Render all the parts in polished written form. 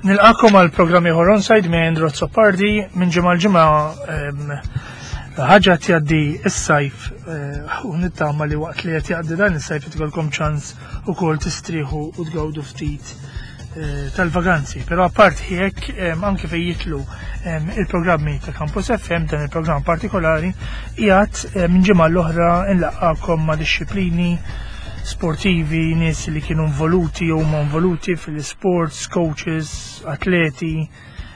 Nilqakom għal programm ieħor onside minn Andrew Azzopardi minn ġimgħa l-ġimgħa ħaġa jgħaddi s-sajf eh, u nittama li waqt li qed jgħaddi dan is-sajf tkollkom ċans ukoll tistrieħu u tgawdu ftit eh, tal-vaganzi. Però apparti hekk anke fejn jitlu il-programmi ta' Campus FM dan il-programm partikolari qiegħed minn ġimgħa l-oħra nlaqqakom ma' disċiplini sportivi, nies li kienu involuti jew huma involuti fil-sports, coaches, atleti,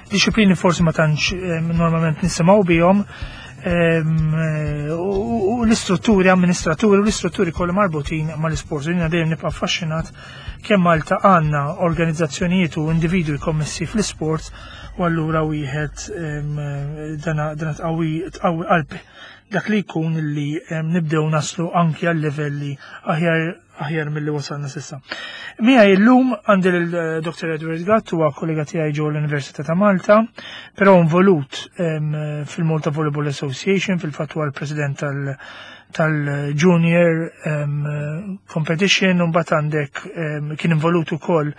disciplini forsi ma tantx eh, normalment nisimgħu bihom, ehm, eh, u l-istrutturi, amministraturi u l-istrutturi kollha marbutin mal-isport. Jiena dejjem nibqa' affaxxinat kemm Malta għandna organizzazzjonijiet u individwi kommessi fl-isport u allura wieħed ehm, dana tqawwi qalbi dak li jkun li nibdew naslu anki għal livelli aħjar aħjar milli wasalna sissa. Mija illum għandi l-Dr. Eh, Edward Gatt huwa kollega tiegħi ġew l-Università ta' Malta, però involut fil-Malta Volleyball Association, fil-fatt huwa l-president tal- tal-junior competition u mbagħad għandek kien involut ukoll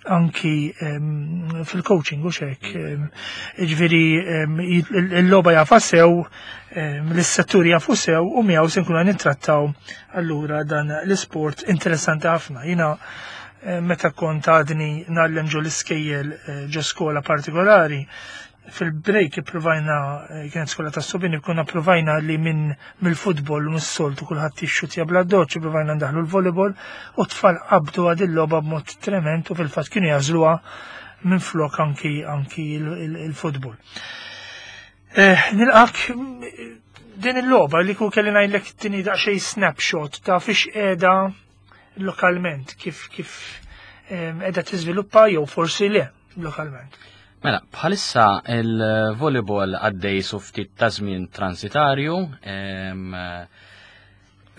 anki fil-coaching u xek. Ġviri, il-loba jafa sew, l-settur jafu sew u miegħu se nkunu nittrattaw allura dan l-isport interessanti ħafna. Jina meta kont għadni nallem ġo l-iskejjel eh, ġo skola partikolari, fil-break ippruvajna eh, kienet skola ta' subini konna provajna li minn mill-futbol u mis-soltu kulħadd jixxutja bla doċ, provajna ndaħlu l-volleyball u tfal qabdu għad il-logħba b'mod trement u fil-fatt kienu jażluha minn flok anki anki il-futbol. Eh, nilqak din il-logħba li ku kelli ngħidlek tini daqsxejn snapshot ta' fiex qiegħda lokalment kif kif eh, qiegħda tiżviluppa jew forsi le lokalment. Mela, bħalissa il-volleyball għaddej su ftit ta' żmien transitarju,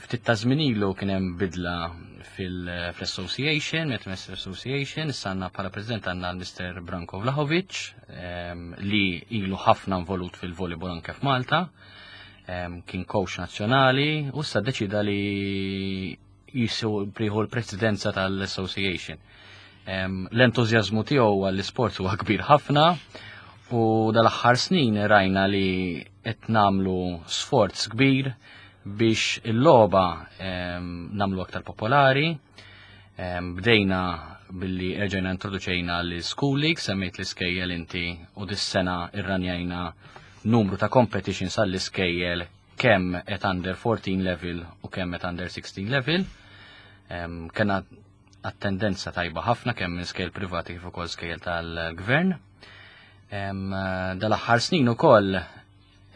ftit ta' żmien ilu kien hemm bidla fil-association, Metmes Association, issa għandna bħala president għandna l-Mr. Branko Vlahovic, li ilu ħafna involut fil-volleyball anke f'Malta, kien coach nazzjonali, u issa deċida li jisu priħu l-presidenza tal-association. L-entużjażmu tiegħu għall-isport huwa kbir ħafna u dal-aħħar snin rajna li qed nagħmlu sforz kbir biex il-logħba nagħmlu aktar popolari. Bdejna billi erġajna introduċejna l-School League, semmejt l-iskejjel inti u dis-sena irranjajna numru ta' competitions għall-iskejjel kemm at under 14 level u kemm at under 16 level. Kena attendenza tajba ħafna kemm minn skejl privati kif ukoll skejl tal-gvern. Dal-aħħar snin ukoll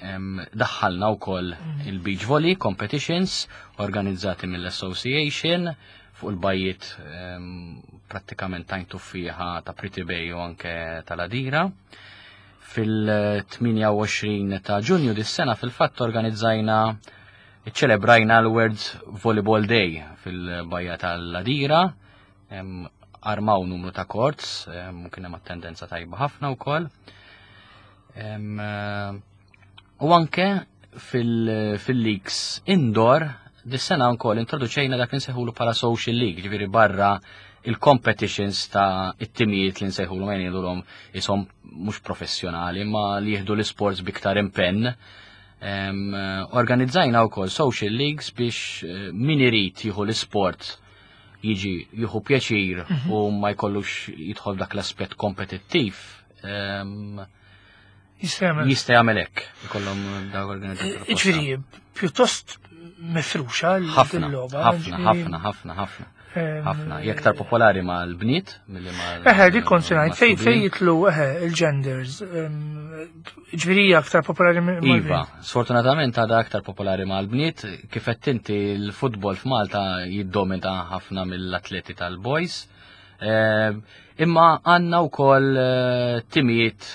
daħħalna wkoll mm. il-beach volley competitions organizzati mill-association fuq il-bajiet prattikament tajn tuffiħa ta' Pretty Bay u anke tal-Adira. Fil-28 ta' Ġunju dis-sena fil-fatt organizzajna ċelebrajna l-World Volleyball Day fil-bajja tal-Ladira, armaw numru ta' courts, kien hemm attendenza tajba ħafna wkoll. U anke fil-leagues indoor dis-sena wkoll introduċejna dak li nsejħulu bħala social league, ġifieri barra il-competitions ta' it-timijiet li nsejħulu ma jgħidulhom ishom mhux professjonali ma li jieħdu l-isports biktar impenn. Organizzajna wkoll social leagues biex eh, min irid jieħu l-isport jiġi jieħu pjaċir mhm. u ma jkollux jidħol dak l-aspett kompetittiv. Jista' jagħmel hekk ikollhom daw organizzazzjoni. Eh, ġifieri, pjuttost mifruxa l-logħba. Ħafna, ħafna, ħafna, ħafna. Ħafna. Hija aktar popolari mal-bniet milli mal. Eħe, dik kont se ngħid fej fej jitlu eħe il-genders. Ġifieri hija aktar popolari mal Iva, sfortunatament għadha aktar popolari mal-bniet, kif qed inti l-futbol f'Malta jiddomina ħafna mill-atleti tal-boys. Imma għandna wkoll eh, timijiet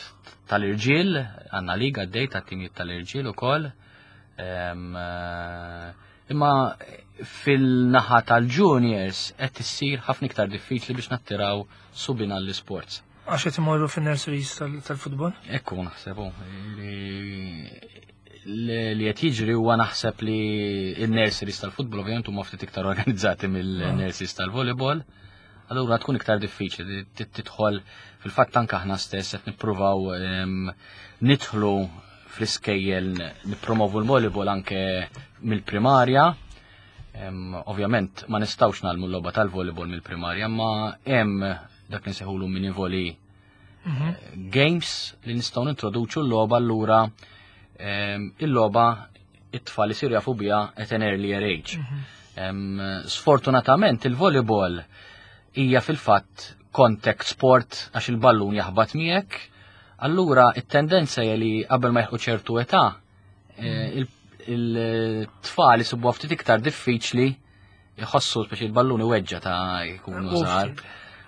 tal-irġiel, għandna liga għaddej ta' timijiet tal-irġiel ukoll. Eh, imma fil-naħa tal-juniors qed issir ħafna iktar diffiċli biex nattiraw subin għall-isports. Għax qed imorru fin-nurseries tal-futbol? Ekku naħseb li qed jiġri huwa naħseb li n-nurseries tal-futbol ovvjament huma ftit iktar organizzati mill-nurseries tal-volleyball. Allura tkun iktar diffiċli tidħol fil-fatt anke aħna stess qed nippruvaw nidħlu fl-iskejjel nippromovu l-volleyball anke mill-primarja. Ovvjament ma nistgħux nagħmlu l-logħba tal-volleyball mill-primarja, ma hemm dak li nsejħulu mini volley games li nistgħu nintroduċu l-logħba allura il-logħba it-tfal isiru jafu biha at an earlier age. Sfortunatament il-volleyball hija fil-fatt contact sport għax il-ballun jaħbat miegħek, allura it-tendenza hija li qabel ma jħu ċertu età il-tfal isibuha ftit iktar diffiċli jħossu speċi il-ballun iweġġa ta' jkunu żgħar.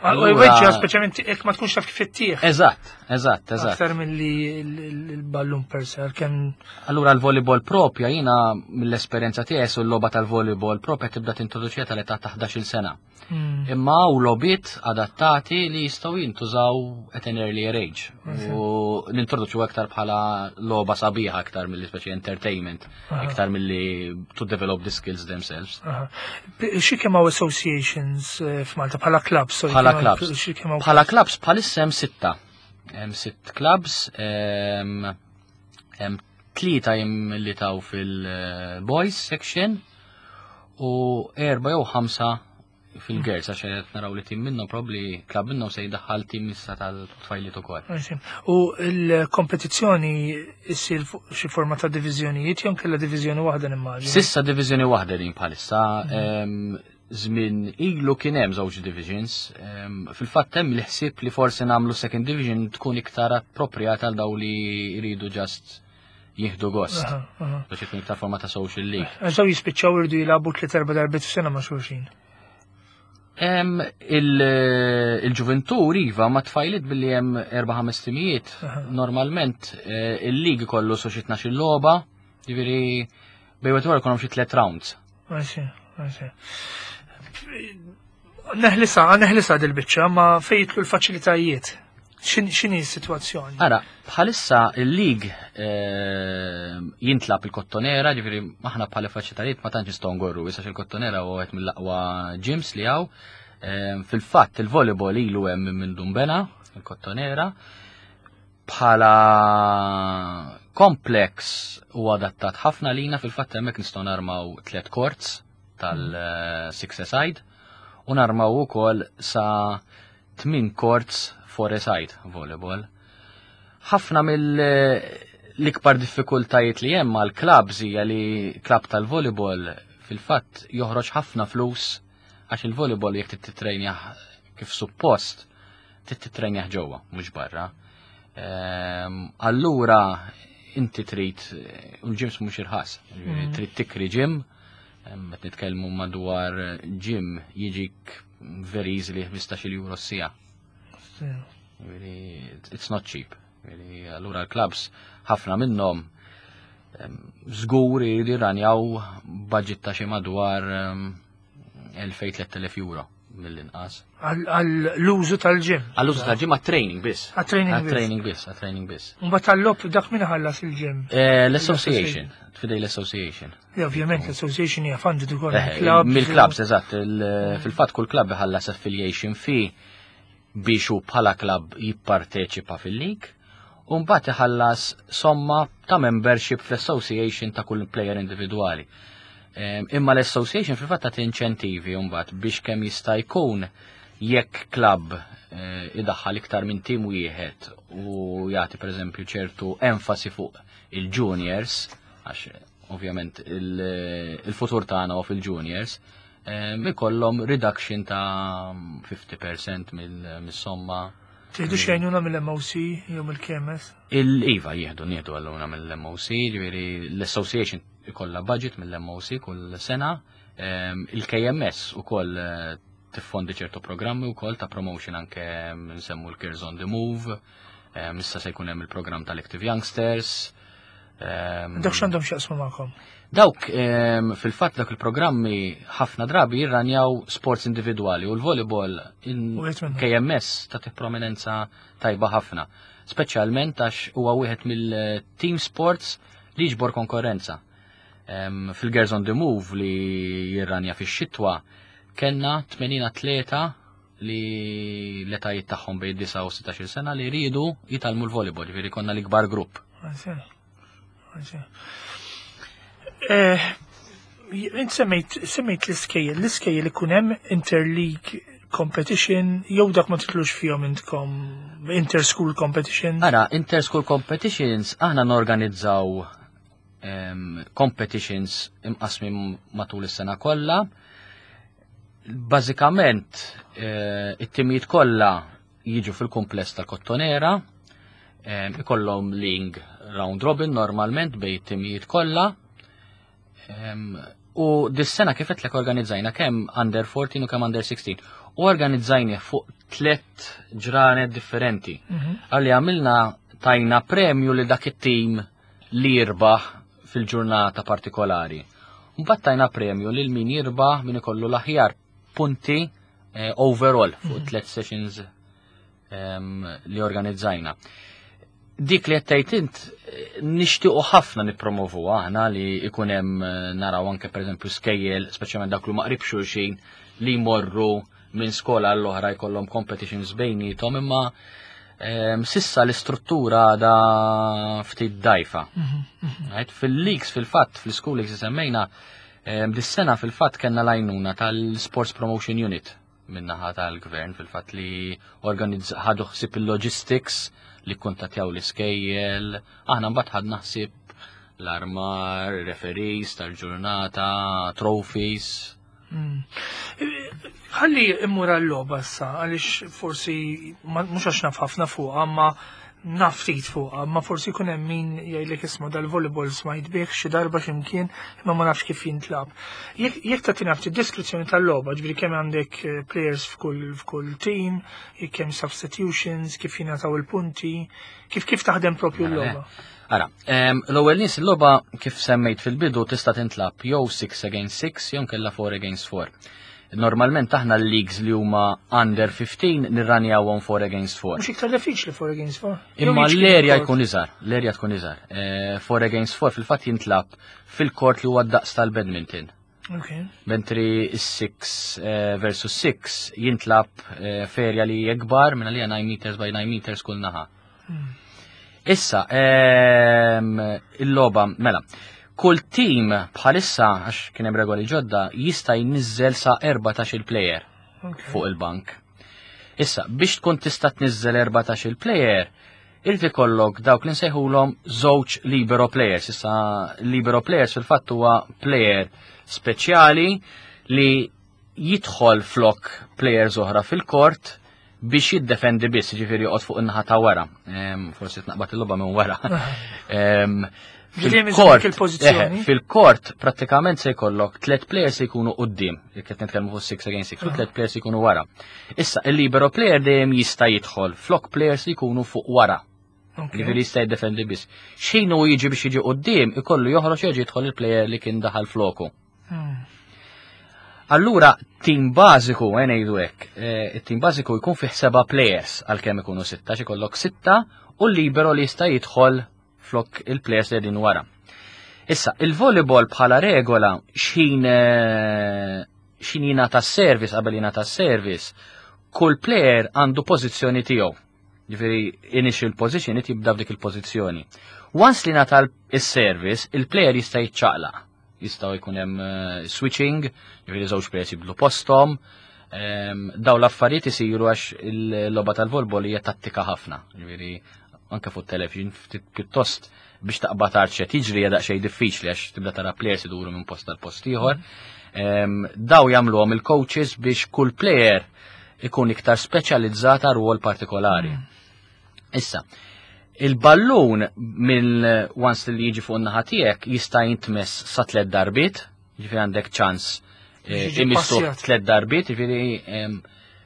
U jweġġa speċjalment jekk ma tkunx taf kif ittieħ. Eżatt, eżatt, eżatt. Aktar milli l-ballun per se kemm. Allura l-volleyball propja jiena mill-esperjenza tiegħi su l-logħba tal-volleyball propja tibda tintroduċija tal-età ta' 11-il sena. Imma u logħbiet adattati li jistgħu jintużaw at an earlier age. U nintroduċu aktar bħala logħba sabiħa aktar milli speċi entertainment, iktar milli to develop the skills themselves. Xi kemm hawn associations eh, f'Malta bħala clubs? Bħala clubs. Bħala clubs bħalissa hemm sitta. Hemm sitt clubs, hemm tlieta jimmilitaw fil-boys section u erba' jew ħamsa fil-girls għax qed naraw li tim minnhom probabbli klabb minnhom se jdaħħal tim issa tal-tfajliet ukoll. U l-kompetizzjoni issir fuq xi forma ta' diviżjonijiet jew kellha diviżjoni waħda nimmaġina. Sissa diviżjoni waħda din bħalissa. Żmien ilu kien hemm żewġ divisions. Fil-fatt hemm il-ħsieb li forsi nagħmlu second division tkun iktar appropriata għal daw li jridu just jieħdu gost. Biex ikun iktar forma ta' social league. Għax daw jispiċċaw irdu jilagħbu tliet erba' darbiet f'sena ma' xulxin. Il-ġuventur iva ma tfajlit billi hemm erba' ħames timijiet. Normalment eh, il-lig kollu so xi 12 logħba, jiġifieri bejn wieħed jkollhom xi tliet rounds. Għaxi, għaxi. Neħlisa, neħlisa dil-biċċa, ma fejtlu l-faċilitajiet. X'inhi s-sitwazzjoni? Ara, bħalissa il-lig eh, jintlab il-kottonera, ġifieri aħna bħala faċilitajiet ma tantx nistgħu ngorru, issa il-kottonera huwa wieħed mill-aqwa gyms li hawn. Eh, fil-fatt il-volleyball ilu hemm minn Dumbena, il-kottonera. Bħala complex u adattat ħafna lina fil-fatt hemmhekk nistgħu narmaw tliet courts tal-six side u narmaw ukoll sa tmien courts four side volleyball. Ħafna mill l-ikbar diffikultajiet li hemm għal clubs hija li club tal-volleyball fil-fatt joħroġ ħafna flus għax il-volleyball jekk tittrejnjah kif suppost trid titrenjah ġewwa, mhux barra. Ehm, allura inti trid u l-ġims mhux irħas, mm. trid tikri ġim, ehm, qed nitkellmu madwar ġim jiġik very easily 15 euro s-sija. It's not cheap. Allura l-clubs ħafna minnhom ehm, żgur jridu jirranjaw budget ta' xi madwar 2000-3000 euro mill-inqas. Għall-użu tal-ġim. Għall-użu tal-ġim għat-training biss. Għat-training biss. Għat-training biss, għat-training biss. Mbagħad tal-lob dak min ħallas il-ġim? Eh, l-association, tfidej l-association. Ovvjament l-association hija funded ukoll eh, mill-clubs. Mill-clubs, eżatt. Fil-fatt kull club iħallas affiliation fee biex hu bħala club jipparteċipa fil-league u mbagħad iħallas somma ta' membership fl-association ta' kull player individwali. Imma l-association fil-fatt tagħti inċentivi mbagħad biex kemm jista' jkun jekk club eh, idaħħal iktar minn tim wieħed u jagħti pereżempju ċertu enfasi fuq il-juniors, għax ovvjament il-futur tagħna huwa fil-juniors, ikollhom reduction ta' 50% mill-somma. Tieħdu xejnuna mill-MOC jew mill-KMS? Il-IVA jieħdu nieħdu għalluna mill-MOC, ġifieri l-association ikollha budget mill-MOC kull sena, il-KMS ukoll eh, tiffondi ċertu programmi wkoll ta' promotion anke nsemmu l-Cares on the Move, issa se jkun hemm il-programm tal-Active Youngsters. Dawk x'għandhom x'jaqsmu magħkom? Dawk fil-fatt dak il-programmi ħafna drabi jirranjaw sports individwali u l-volleyball KMS tagħti prominenza tajba ħafna. Speċjalment għax huwa wieħed mill-team sports li jiġbor konkurrenza. Fil-Girls on the Move li jirranja fix-xitwa kellna 80 atleta li l-etajiet tagħhom bejn 9 u 16 sena li jridu jitgħallmu l-volleyball, ġifieri konna l-ikbar grupp. Eh, int semmejt semmejt l-iskejjel, l-iskejjel ikun hemm interleague competition jew dak ma titlux fihom intkom inter-school competition? Ara, inter-school competitions aħna norganizzaw competitions imqasmin matul is-sena kollha. Bażikament eh, it-timijiet kollha jiġu fil-kumpless tal-Kottonera, ikollhom ling round robin normalment bejn it-timijiet kollha. U dis-sena kif qed organizzajna kemm under 14 u kemm under 16. U organizzajni fuq tlet ġranet differenti. Għalli għamilna tajna premju li dak it-tim li jirbaħ fil-ġurnata partikolari. Mbagħad tajna premju lil min jirbaħ min ikollu l-aħjar punti eh, overall fuq mhm. tlet sessions ehm, li organizzajna. Dik li qed int eh, nixtiequ ħafna nippromovu aħna li ikun hemm eh, naraw anke pereżempju skejjel, speċjalment dak li maqrib xulxin li jmorru minn skola għall oħra jkollhom competitions bejnietom imma ehm, sissa l-istruttura għadha ftit dajfa. Mhm, mhm. Fil-leaks fil-fatt, fil-school leaks semmejna, ehm, dis-sena fil-fatt kellna lajnuna tal-Sports Promotion Unit minnaħa tal-gvern fil-fatt li organizz ħadu ħsieb il-logistics li kuntatjaw l-iskejjel, aħna mbagħad ħadna ħsieb l-armar, referees tal-ġurnata, trophies. Ħalli immur għall-logħba issa għaliex forsi mhux għax naf ħafna fuqha, ma naf ftit fuqha, ma forsi jkun hemm min jgħidlek isma' dal-volleyball smajt bih xi darba x'imkien imma ma nafx kif jintlab. Jekk tagħtina ftit deskrizzjoni tal-logħba, ġifieri kemm għandek eh, players f'kull f'kull team, jekk hemm substitutions, kif jingħataw il-punti, kif kif taħdem propju mela, l-logħba. Ara, l-ewwel nies il-logħba kif semmejt fil-bidu tista' tintlab jew 6 against 6 jew kella 4 against 4. Normalment aħna l-leagues li huma under 15 nirranjawhom 4 against 4. Mhux iktar diffiċli 4 against 4. Imma l-erja jkun iżgħar, l-erja tkun iżgħar. 4 eh, against 4 fil-fatt jintlab fil-kort li huwa daqs tal-badminton. Okay. Mentri 6 eh, versus 6 jintlab eh, ferja li jekbar minn għalija 9 meters by 9 meters kull naħa. Issa, ehm, il-loba, mela, kull team bħalissa, għax kien hemm regoli ġodda, jista' jniżżel sa 14 il-player fuq il-bank. Issa, biex tkun tista' tniżżel 14 il-player, irid ikollok dawk li nsejħulhom żewġ libero players. Issa libero players fil-fatt huwa player speċjali li jidħol flok players oħra fil-kort biex jiddefendi biss, ġifieri joqgħod fuq in-naħa ta' wara. Forsi tnaqbad il-logħba minn wara. Fil-kort, fil-kort prattikament se jkollok tliet players se jkunu quddiem, jekk qed nitkellmu fuq 6 against 6, u tliet players jkunu wara. Issa il-libero player dejjem jista' jidħol flok players li jkunu fuq wara. Ġifieri jista' jiddefendi biss. X'ħin hu jiġi biex jiġi quddiem, ikollu joħroġ jerġa' jidħol il-player li kien daħal floku. Allura, tim bażiku, eh, ngħidu hekk, eh, it-tim bażiku jkun fih seba' players għalkemm ikunu sitta, xi kollok sitta u l-libero li jista' jidħol flok il-players li din wara. Issa, il-volleyball bħala regola x'ħin eh, x'ħin jingħata service qabel jingħata service, kull player għandu pożizzjoni tiegħu. Ġifieri initial position jibda f'dik il-pożizzjoni. Once li ngħata is-service, il-player jista' jiċċaqlaq. Jistgħu jkun hemm eh, switching, ġifieri żewġ players jibdlu posthom. Ehm, daw l-affarijiet isiru għax il-logħba tal-volbol hija tattika ħafna. Ġifieri anke fuq television ftit pjuttost biex taqbad tard x'qed jiġri hija daqsxejn diffiċli għax tibda tara players iduru minn post għal post ieħor. Ehm, daw jagħmluhom il-coaches biex kull player ikun iktar speċjalizzat għal rwol partikolari. Mm. Issa, il-ballun mill once li jiġi fuq in-naħa tiegħek jista' jintmess sa tliet darbiet, ġifieri għandek ċans eh, imissu tliet darbiet, ġifieri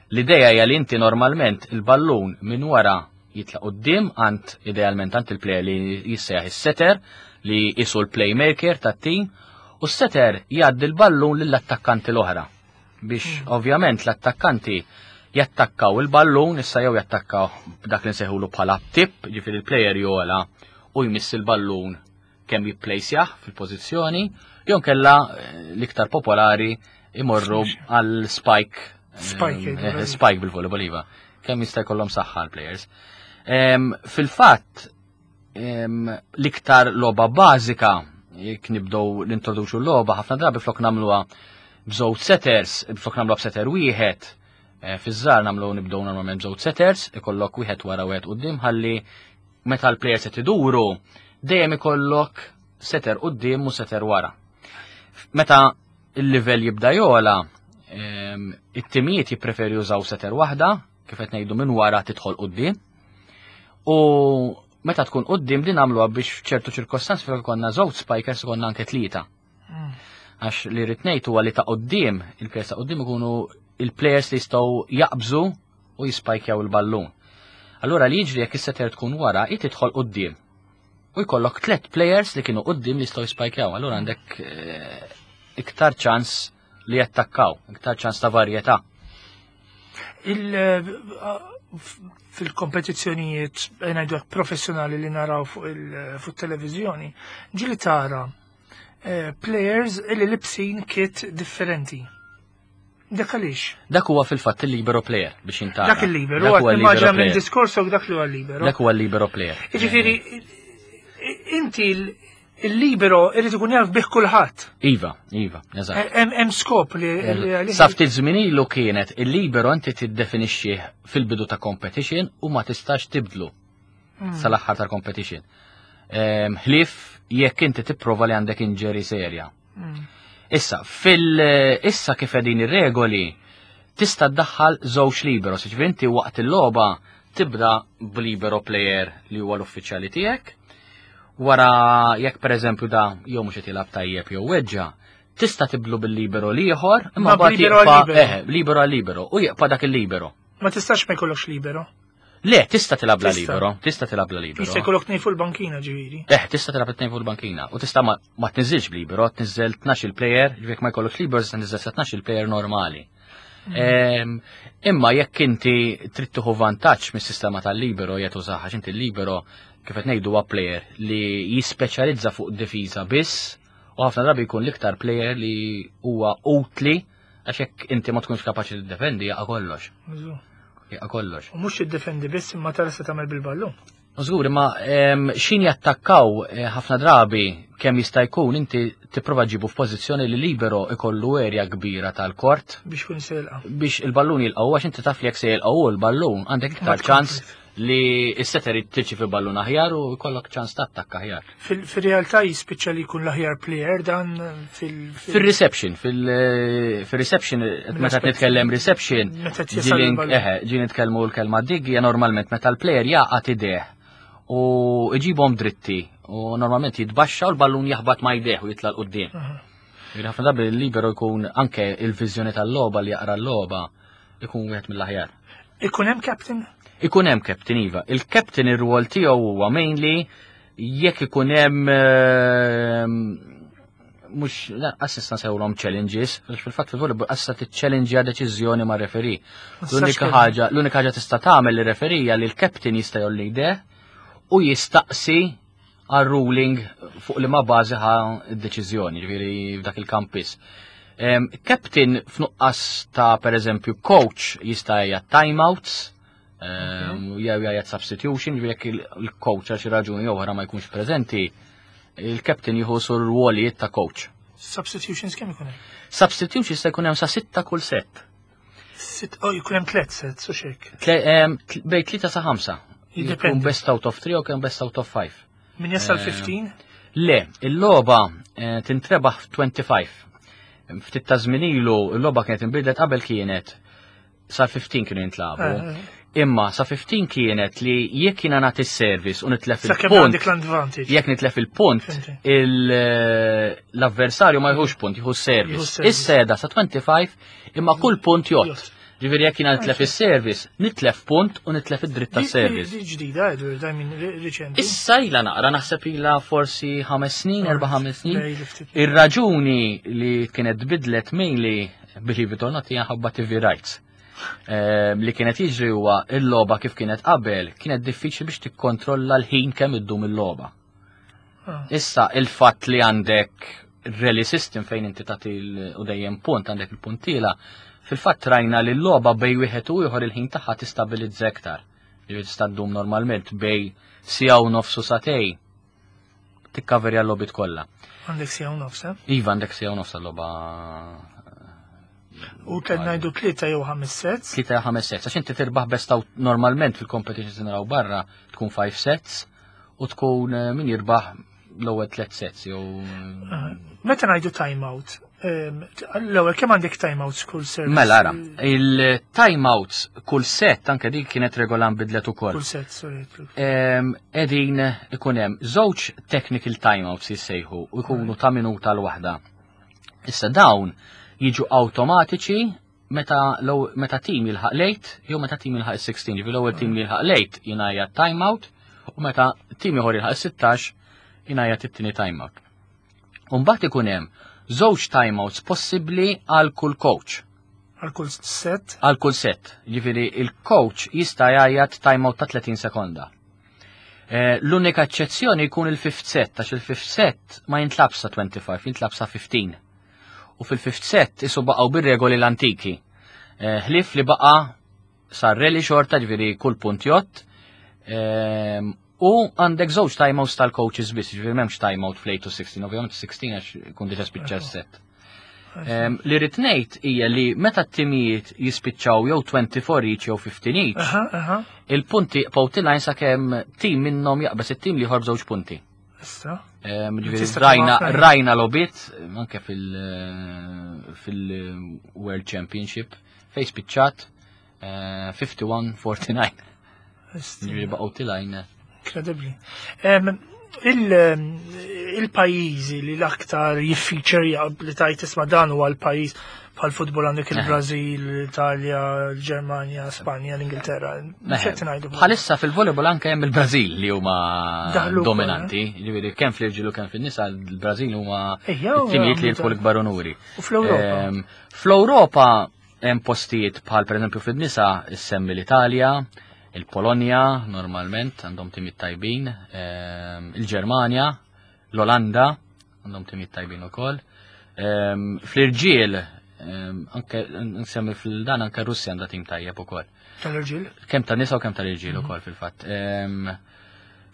l-idea hija li inti normalment il-ballun minn wara jitlaq quddiem għand idealment għand il-player li jissejjaħ is-setter li jisu l-playmaker tat-tim u s-setter jgħaddi l-ballun lill-attakkanti l-oħra. Biex hmm. ovvjament l-attakkanti jattakkaw il-ballun, issa jew jattakkaw b'dak li nsejħulu bħala tip, ġifieri il-player jola u jmiss il-ballun kemm jipplejsjah fil-pożizzjoni, jew kella eh, l-iktar popolari imorru għal spike. Spike. Spike bil-volleyball iva. Kemm jista' jkollhom saħħa l-players. Fil-fatt, l-iktar logħba bażika, jekk nibdew nintroduċu l-logħba, ħafna drabi flok nagħmluha b'żewġ setters, flok nagħmluha b'setter wieħed, fiż-żgħar nagħmlu nibdew normalment b'żewġ setters, ikollok wieħed wara wieħed quddiem ħalli meta l-players qed iduru, dejjem ikollok setter quddiem u setter wara. Meta il-livell jibda jola, it-timijiet jippreferi jużaw setter waħda, kif qed ngħidu minn wara tidħol quddiem. U meta tkun quddiem din nagħmluha biex f'ċertu ċirkostanzi fejn konna żewġ spikers konna anke tlieta. Għax li rrid ngħid huwa li ta' quddiem, il-players ta' quddiem ikunu il-players li jistgħu jaqbżu u jispajkjaw il-ballun. Allura li jiġri jekk is-setter tkun wara, hi tidħol quddiem. U jkollok tliet players li kienu quddiem li jistgħu jispajkjaw. Allura għandek iktar ċans li jattakkaw, iktar ċans ta' varjetà. Fil-kompetizzjonijiet ngħidu professjonali li naraw fuq il-televiżjoni, ġieli tara players li libsin kit differenti. Dak għaliex? Dak huwa fil-fatt il-libero player biex intara. Dak il-libero, huwa immaġina minn diskorsok dak li huwa libero. Dak huwa l-libero player. Jiġifieri inti il-libero irid ikun jaf bih kulħadd. Iva, iva, eżatt. Hemm skop li Sa ftit żmien ilu kienet il-libero inti tiddefinixxih fil-bidu ta' competition u ma tistax tibdlu sal-aħħar tal-competition. Ħlief jekk inti tipprova li għandek injury serja. Issa, fil-issa kif qegħdin ir-regoli, tista' ddaħħal żewġ liberos, jiġifieri inti waqt il-logħba tibda b'libero player li huwa l-uffiċjali tiegħek. Wara jekk pereżempju da jew mhux qed jilgħab tajjeb jew weġġa, tista' tiblu bil-libero l-ieħor, imma mbagħad jibqa' libero għal libero u jibqa' dak il-libero. Ma tistax ma jkollokx libero. Le, tista' tilgħab la libero, tista' tilgħab la libero. Jista' jkollok tnejn fuq il-bankina ġifieri. Eh, tista' tilgħab tnejn fuq il-bankina u tista' ma tniżilx b'libero, tniżel 12 il-player, ġifieri ma jkollokx libero tista' tniżel sa 12 il-player normali. Imma jekk inti trid tieħu vantaġġ mis-sistema tal-libero jekk tużaha, għax inti l-libero kif qed ngħidu huwa player li jispeċjalizza fuq difiża biss u ħafna drabi jkun l-iktar player li huwa utli għax jekk inti ma tkunx kapaċi tiddefendi jaqa' kollox. Jaqa' kollox. U mhux tiddefendi biss imma tara se tagħmel bil-ballun. Żgur, imma xin jattakkaw ħafna drabi kemm jista' jkun inti tipprova ġibu f'pożizzjoni li libero ikollu erja kbira tal-kort biex kun se jilqa'. Biex il-ballun jilqgħu għax inti taf li jekk se jilqgħu l-ballun għandek iktar ċans li s-setter tirċi fi ballun aħjar u jkollok ċans tattakka aħjar. Fil-realtà jispiċċa li jkun l-aħjar player dan fil- Fil-reception, fil-reception, meta nitkellem reception, ġi nitkellmu l-kelma dig hija normalment meta l-player jaqgħad ideh u iġibhom dritti u normalment jitbaxxa u l-ballun jaħbat ma jdeh u jitla' l-qudiem. Ħafna drabi l-libero jkun anke il-viżjoni tal-logħba li jaqra l-logħba ikun wieħed mill-aħjar. Ikun hemm captain? Ikun hemm captain iva. Il-captain ir-rwol tiegħu huwa mainly jekk ikun hemm mhux assista sewlhom challenges, għax fil-fatt fil-volleyball assista tiċċellenġja deċiżjoni ma' referee. L-unika ħaġa, l-unika ħaġa tista' tagħmel lir-referee hija li l-captain jista' jolli jdeh u jistaqsi għal ruling fuq li ma bażi ħa d-deċiżjoni, ġifieri f'dak il-kampis. Captain f'nuqqas ta' per eżempju coach jista' jgħid timeouts, jew jgħid substitution, ġifieri jekk il-coach għal xi raġuni oħra ma jkunx preżenti, il-captain jieħu sur rwolijiet ta' coach. Substitutions kemm ikun hemm? Substitutions jista' jkun hemm sa 6 kull set. Sitt, oh, jkun hemm tliet sets u xek. Bejn 3 sa 5. Jiddependi. Jkun best out of 3 u kemm best out of 5. Min jasal 15? Le, il-logħba tintrebaħ f'25. Ftit ta' żmien ilu l-logħba kienet inbidlet, qabel kienet sa 15 kienu jintlagħbu. Imma sa 15 kienet li jekk jiena nagħti s-service u nitlef Sa kemm il-punt, għandek l-advantage. Jekk nitlef il-punt, l-avversarju ma jħux punt, jieħu s-service. Jieħu s-service. Issa qiegħda sa 25 imma kull punt jgħodd. Jgħodd. Ġifieri jekk jiena nitlef is-service, nitlef punt u nitlef id-dritt tas-service. Di ġdida, Edward, I mean, riċenti. Issa ilha naqra, naħseb ilha forsi 5 snin, 4-5 snin. Lej, li ftit. Ir-raġuni li kienet bidlet mainly, believe it or not, hija ħabba TV rights. Li kienet jiġri huwa il-logħba kif kienet qabel, kienet diffiċli biex tikkontrolla l-ħin kemm iddum il-logħba. Issa il-fatt li għandek rally system fejn inti tagħti u dejjem punt, għandek il-puntila, Fil-fatt rajna li l-logħba bej wieħed u ieħor il-ħin tagħha tistabilizza iktar. Li tista' ddum normalment bej siegħa u nofs u sagħtejn tikkaverja l-logħbiet kollha. Għandek siegħa u nofs, eh? Iva għandek siegħa u nofs għal-logħba. U kien ngħidu tlieta jew ħames sets. Tlieta jew ħames sets, għax inti tirbaħ best out normalment fil-competitions naraw barra tkun 5 sets u tkun eh, min jirbaħ l-ewwel tliet sets jew. Meta ngħidu time out, l-ewwel kemm għandek time outs kull service? Mela ara, il-time outs kull set anke dik kienet regola nbidlet ukoll. Kull set, sorry. Qegħdin ikun hemm żewġ technical time outs jissejħu u jkunu ta' minuta l-waħda. Issa dawn jiġu awtomatiċi meta meta tim jilħaq late jew meta tim jilħaq is-16, ġifieri l-ewwel tim li jilħaq late jingħajja time out u meta tim ieħor jilħaq is-16 jingħajja it-tieni time out. U mbagħad ikun hemm żewġ time outs possibbli għal kull coach. Għal kull set? Għal kull set. Ġifieri il-coach jista' jgħajjat time out ta' 30 sekonda. Eh, l-unika eċċezzjoni jkun il-fifth set, għax il-fifth set ma jintlabx sa 25, jintlab sa 15. U fil-fifth set isu baqgħu bir-regoli l-antiki. Eh, ħlief li baqa' sar rally xorta ġifieri kull punt jott. Ehm, u għandek żewġ timeouts tal-coaches biss, ġifieri m'hemmx timeout fl-8 u 16, ovvjament 16 għax kun diġà spiċċa s-set. Ehm, li rrid ngħid hija li meta t-timijiet jispiċċaw jew 24 each jew 15 each, il-punti jibqgħu tilgħin sakemm tim minnhom jaqbeż it-tim li ieħor b'żewġ punti. Issa. Ehm, ġifieri rajna rajna logħbiet anke fil-World Championship fejn spiċċat 51-49. Eh, Ġifieri baqgħu tilgħin. Incredibbli. Il-pajjiżi li l-aktar jiffeature li tajt isma' dan huwa l-pajjiż bħal futbol għandek il-Brażil, l-Italja, l-Ġermanja, Spanja, l-Ingilterra. Bħalissa fil-volleyball anke hemm il-Brażil li huma dominanti, eh? ġifieri kemm fl-irġiel u kemm fin-nisa l-Brażil huma t-timijiet li jirbħu l-ikbar unuri. U fl-Ewropa? Fl-Ewropa Hemm postijiet bħal pereżempju fin-nisa issemmi l-Italja, il-Polonja normalment għandhom timiet tajbin, ehm, il-Ġermanja, l-Olanda għandhom timiet tajbin ukoll. Ehm, fl-irġiel ehm, anke nsemmi fil-dan anke Russja għandha tim tajjeb ukoll. Tal-irġiel? Kemm ta' nisa u kemm tal-irġiel mhm. ukoll fil-fatt.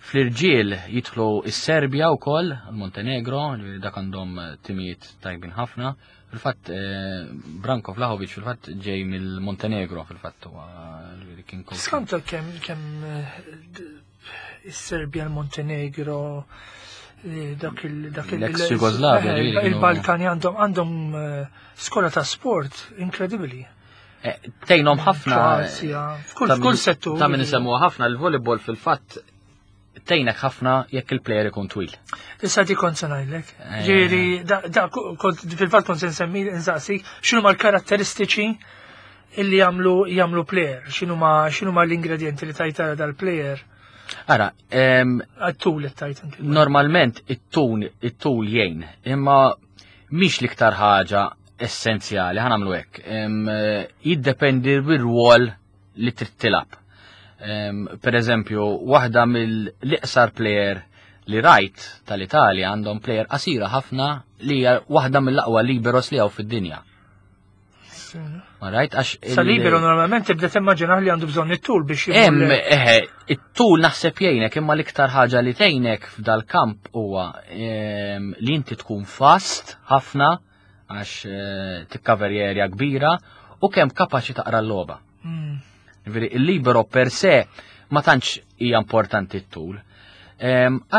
Fl-irġiel jidħlu is-Serbja wkoll, il-Montenegro, dak għandhom timijiet tajbin ħafna. Fil-fatt, eh, Branko Vlahovic fil-fatt ġej mill-Montenegro fil-fatt huwa li kien coach. Skanta kemm kemm eh, is-Serbja, l-Montenegro, eh, dak il dak il L-ex Jugoslavia, il-Balkani għandhom għandhom skola ta' sport inkredibbli. Tejnom ħafna. F'kull settur. Ta' min isemmuha ħafna l-volleyball fil-fatt tgħinek ħafna jekk il-player ikun twil. Issa di kont se ngħidlek. Eh. Ġieri, da fil-fatt kont se nsemmi nsaqsik x'inhuma l-karatteristiċi illi jagħmlu jagħmlu player, x'inhuma x'inhuma l-ingredjenti li tajt dal-player. Ara, it-tul tajt inti. Normalment it-tul it-tul jgħin, imma mhix l-iktar ħaġa essenzjali ħanamlu hekk. Jiddependi bir-rwol li trid tilgħab. Per eżempju, waħda mill-iqsar player li rajt tal-Italja għandhom player qasira ħafna li hija waħda mill-aqwa liberos li hawn fid-dinja. Rajt għax. Sa libero normalment tibda timmaġina li għandu bżonn it-tul biex Hemm eħe, it-tul naħseb jgħinek imma l-iktar ħaġa li tgħinek f'dal-kamp huwa li inti tkun fast ħafna għax eh, tikkaver area kbira u kemm kapaċi taqra l-logħba. Hmm. Ġifieri il-libero per se ma tantx hija importanti t-tul.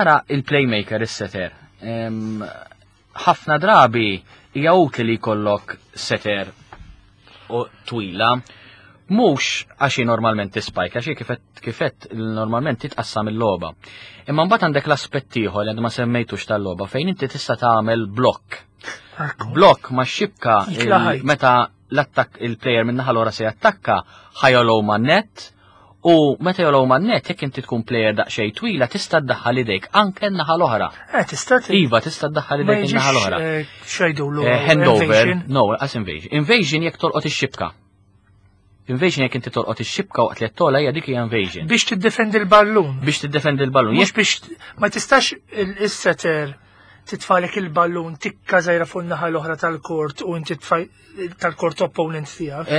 Ara il-playmaker is-setter. Ħafna drabi hija utli li jkollok setter u twila mhux għax normalment tispajk, għax kifet kifet normalment titqassam il-logħba. Imma mbagħad għandek l-aspett ieħor li għad ma semmejtux tal-logħba fejn inti tista' tagħmel blokk. Blokk ma' xibka meta l-attakk il-player minn naħa l-ora se jattakka ħajolgħu ma' net u meta jolgħu ma' net jekk inti tkun player daqsxejn twila tista' ddaħħal idejk anke n-naħa l-oħra. Eh, tista' Iva, tista' ddaħħal idejk in-naħa l-oħra. Eh, x'jgħidulu eh, handover, no, as invasion. Invasion jekk tolqot ix-xibka. Invasion jekk inti tolqot ix-xibka waqt li qed togħla hija dik hija invasion. Biex tiddefendi l-ballun. Biex tiddefendi l-ballun. Mhux biex ma tistax is-setter titfalek il-ballun tikka żgħira fuq naħa l-oħra tal-kort u inti tal-kort opponent tiegħek.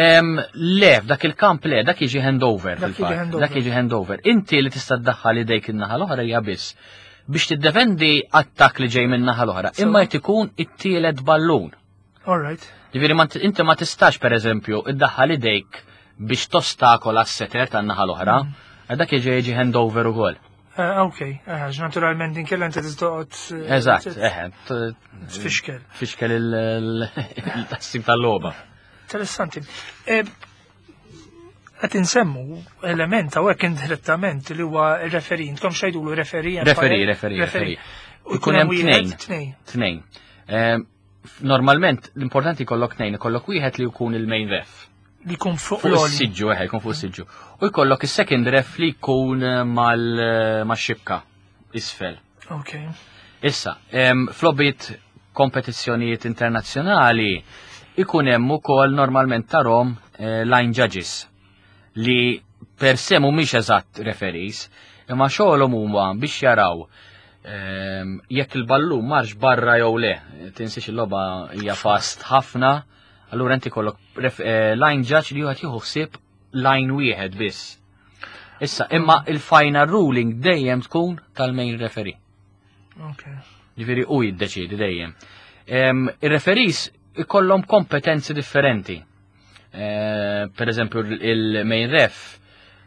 Le, f'dak il-kamp le, dak jiġi handover. Dak jiġi handover. Inti li tista' ddaħħal idejk in-naħa l-oħra hija biss biex tiddefendi attak li ġej minn naħa l-oħra, imma jrid ikun it-tielet ballun. All right. Ġifieri inti ma tistax pereżempju iddaħħal idejk biex tostakola s-setter tan-naħa l-oħra, mm. dak jiġi jiġi handover ukoll. Eh, ok, eh, naturalment din kella inti tistoqgħod. Eh, Eżatt, eħe. Tfixkel. Tfixkel il-tassim tal-logħba. Interessanti. Qed insemmu element hawnhekk indirettament li huwa referi, intkom x'għidulu referi? Referi, referi, referi. U jkun hemm tnejn. Tnejn. Normalment l-importanti jkollok tnejn, ikollok wieħed li jkun il-main ref. Li jkun fuq is-siġġu, eħe, jkun fuq is-siġġu. U jkollok is-second ref li jkun eh, eh, mal-xibka isfel. Ok. Issa, flobit kompetizzjonijiet internazzjonali ikun hemm ukoll normalment tarhom eh, line judges li per se mhumiex eżatt referees, imma xogħolhom huma biex jaraw jekk il-ballun marx barra jew le. Tinsiex il-logħba hija fast ħafna, allura inti kollok eh, line judge li wieħed jieħu ħsieb line wieħed biss. Issa, imma il-final ruling dejjem tkun tal-main referee. Okay. Ġifieri u jiddeċiedi dejjem. Ir-referees ikollhom kompetenzi differenti. Eh, per eżempju il-main ref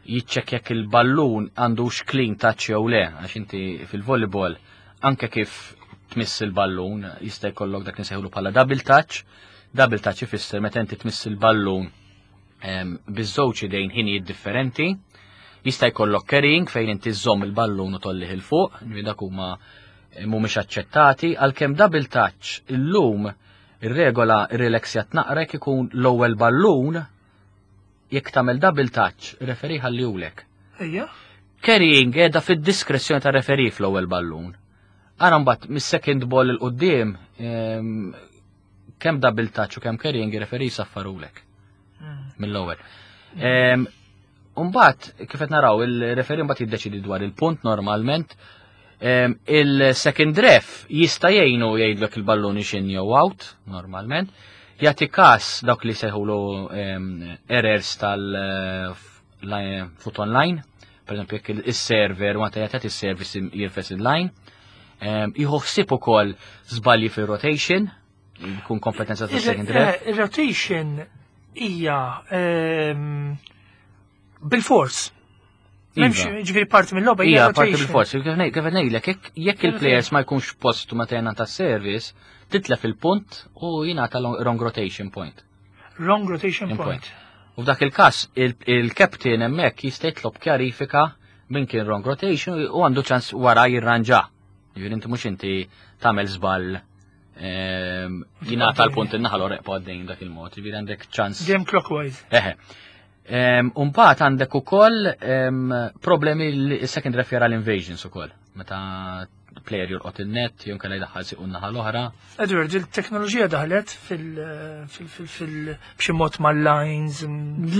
jiċċek jekk il-ballun għandux clean touch jew le, għax inti fil-volleyball anke kif tmiss il-ballun jista' jkollok dak nisejħulu bħala double touch. Double touch ifisser meta inti tmiss il-ballun biż-żewġ idejn ħinijiet differenti. Jista' jkollok carrying fejn inti żżomm il-ballun u tollih il fuq, dak huma mhumiex aċċettati, għalkemm double touch illum Ir-regola rrileksjat naqra jekk ikun l-ewwel ballun jekk tagħmel double touch, referee ħallihulek. Ejja. Carrying qiegħda fid-diskrezzjoni ta' referee fl-ewwel ballun. Ara mbagħad mis-second ball il quddiem ehm, kemm double touch u kemm carrying ir-referee saffarulek. Hmm. Mill-ewwel. Ehm, Umbagħad kif qed naraw il-referee mbagħad jiddeċidi dwar il-punt normalment. Il-second ref jista' jgħinu jgħidlek il-ballun ixin jew out normalment. Jagħti każ dawk li seħulu errors tal-foot eh, online, per esempio jekk il-server ma jagħti is-service jirfes il-line. Jieħu ħsieb ukoll żbalji fir-rotation, jkun kompetenza ta' second ref. Eh, il-rotation hija ehm, bil-fors. M'hemmx iva. ġifieri parti mill-logħba hija parti bil-fors. Kif ngħidlek jekk il-players ma jkunx postu meta jingħata service, titlef il-punt u jingħata wrong rotation point. Wrong rotation point. U f'dak il-każ il-captain hemmhekk jista' jitlob kjarifika minn kien wrong rotation u għandu ċans wara jirranġa. Ġifieri inti mhux inti tagħmel żball Ehm, jingħata l-punt in-naħa l eqpa għaddejn dak il-mod, ġifieri għandek ċans. Game clockwise. Eħe. Ehm, Umbagħad għandek ukoll ehm, problemi l-second ref jara l-invasions ukoll. Meta player jolqot il-net, jew kellha jdaħħal siqu naħa l-oħra. Edward, il-teknoloġija daħlet fil b'xi mod mal-lines.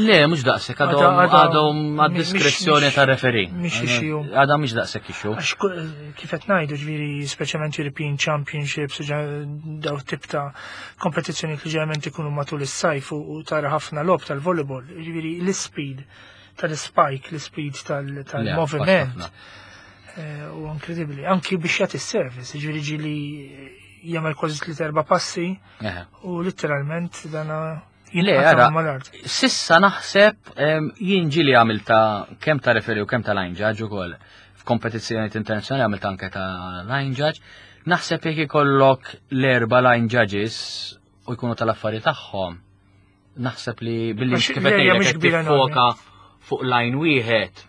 Le, mhux daqshekk għadhom għadhom għad-diskrezzjoni ta' referi. Mhix issue. Għadha mhix daqshekk issue. Għax kif qed ngħidu ġifieri speċjalment European Championships daw tip ta' kompetizzjoni li ġeneralment ikunu matul is-sajf u tara ħafna logħob tal-volleyball, ġifieri l-ispeed tal-spike, l-speed tal-moviment. Eh, u inkredibbli, anki biex jagħti s-service, ġifieri ġieli jagħmel kważi tliet erba' passi u litteralment dana jinqata' mal-art. Sissa naħseb jien ġieli għamilta kemm ta' referi u kemm ta' line judge ukoll f'kompetizzjonijiet internazzjonali għamilt anke ta' line judge. Naħseb jekk ikollok l-erba' line judges u jkunu tal-affari tagħhom, naħseb li billi kif qed ngħidlek tiffoka fuq line wieħed